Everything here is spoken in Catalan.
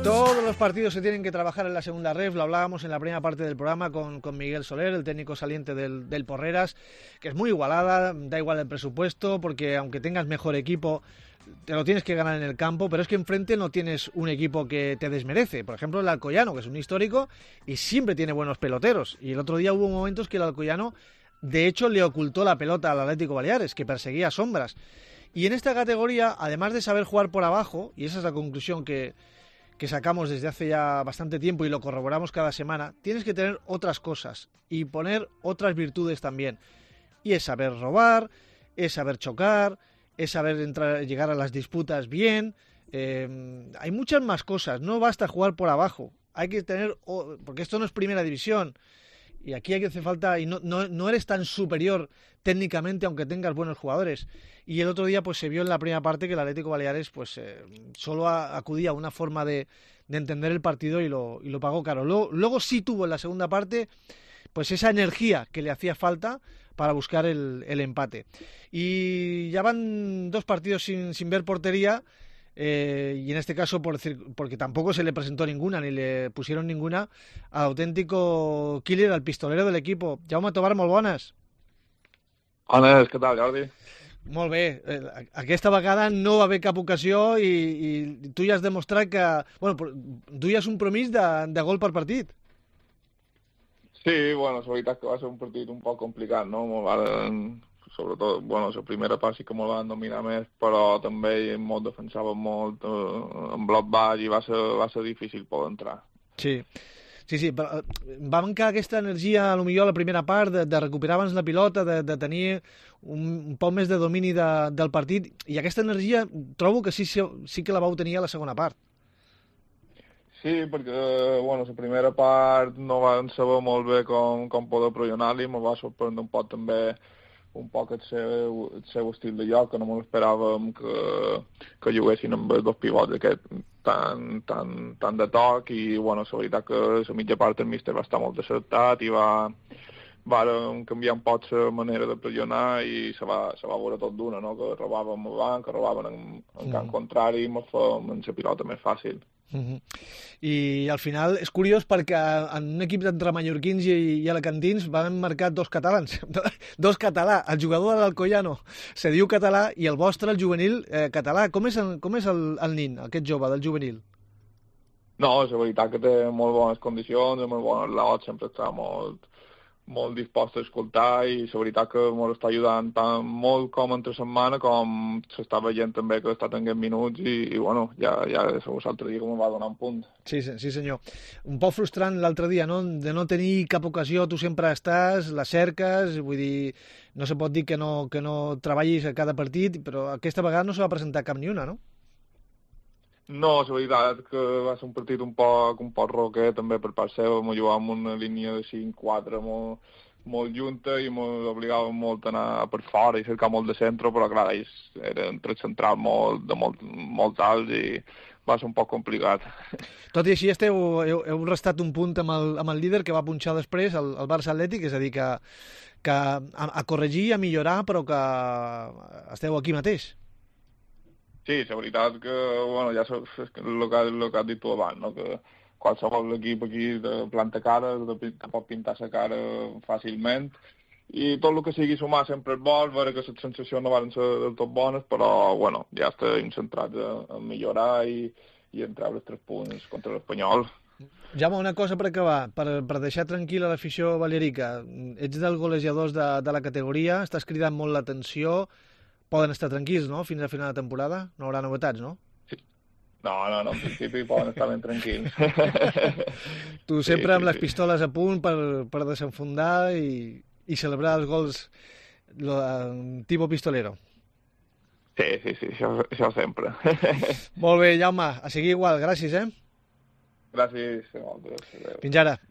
Todos los partidos se tienen que trabajar en la segunda ref, lo hablábamos en la primera parte del programa con Miguel Soler, el técnico saliente del Porreras, que es muy igualada, da igual el presupuesto, porque aunque tengas mejor equipo, te lo tienes que ganar en el campo, pero es que enfrente no tienes un equipo que te desmerece. Por ejemplo, el Alcoyano, que es un histórico y siempre tiene buenos peloteros, y el otro día hubo momentos que el Alcoyano, de hecho, le ocultó la pelota al Atlético Baleares, que perseguía sombras. Y en esta categoría, además de saber jugar por abajo, y esa es la conclusión que sacamos desde hace ya bastante tiempo y lo corroboramos cada semana, tienes que tener otras cosas y poner otras virtudes también. Y es saber robar, es saber chocar, es saber llegar a las disputas bien. Hay muchas más cosas, no basta jugar por abajo. Hay que tener, porque esto no es primera división, y aquí hay que hacer falta, y no eres tan superior técnicamente aunque tengas buenos jugadores. Y el otro día pues se vio en la primera parte que el Atlético Baleares pues solo acudía a una forma de entender el partido y lo pagó caro. Luego sí tuvo en la segunda parte pues esa energía que le hacía falta para buscar el empate. Y ya van 2 partidos sin ver portería. Y en este caso porque tampoco se le presentó ninguna ni le pusieron ninguna, al auténtico killer, al pistolero del equipo. Jaume Tobar, molt bones. Bones, què tal, Jordi? Molt bé, aquesta vegada no va haver cap ocasió i tu ja has demostrat que duies un promís de gol per partit. Sí, bueno, la veritat que va ser un partit un poc complicat, no? Sobretot, la primera part sí que me'l van dominar més, però també defensaven molt en bloc baix i va ser difícil poder entrar. Sí, però va mancar aquesta energia, potser a la primera part, de recuperar abans la pilota, de tenir un poc més de domini del partit, i aquesta energia trobo que sí que la vau tenir a la segona part. Sí, perquè la primera part no vam saber molt bé com poder pressionar-li, me va sorprendre un poc també un poc el seu estil de joc, que no m'esperàvem que juguessin amb els 2 pivots aquest tan de toc, i la veritat que la mitja part el míster va estar molt acertat i varen canviar un poc la manera de pressionar i se va veure tot d'una, no? Que robàvem a banc, que robaven en camp contrari i ens fèiem la pilota més fàcil. I al final és curiós perquè en un equip d'entre mallorquins i alacantins van marcar 2 catalans, 2 català. El jugador de l'Alcoyano se diu català i el vostre, el juvenil, català. Com és el nin, aquest jove del juvenil? No, és veritat que té molt bones condicions, molt bones lots, sempre està molt dispost a escoltar, i la veritat que ens està ajudant tant molt com entre setmana, com s'està veient també que està tenint minuts, i ja l'altre dia que em va donar un punt. Sí, senyor. Un poc frustrant l'altre dia, no? De no tenir cap ocasió, tu sempre estàs, la cerques, vull dir, no se pot dir que no treballis a cada partit, però aquesta vegada no se va presentar cap ni una, no? No, la veritat que va ser un partit un poc roquer també per part seva, m'ho jugàvem una línia de 5-4 molt junta i m'obligàvem molt a anar per fora i cercar molt de centre, però clar, ells eren tres centrals molt alts i va ser un poc complicat. Tot i així heu restat un punt amb el líder que va punxar després, el Barça Atlètic, és a dir, que a corregir, a millorar, però que esteu aquí mateix. Sí, la veritat que, ja és el que has dit tu abans, no? Que qualsevol equip aquí de planta cara, te pot pintar la cara fàcilment, i tot el que sigui sumar sempre és bo, veure que les sensacions no van ser del tot bones, però, ja estem centrats en millorar i en treure els 3 punts contra l'Espanyol. Jaume, una cosa per acabar, per deixar tranquil·la l'afició balearica. Ets dels golejadors de la categoria, estàs cridant molt l'atenció. Poden estar tranquils, no?, fins a final de temporada? No haurà novetats, no? Sí. No, en principi poden estar ben tranquils. Tu sempre amb les pistoles a punt per desenfundar i celebrar els gols tipus pistolero. Sí, això sempre. Molt bé, Jaume, a seguir igual, gràcies, Gràcies. Fins ara.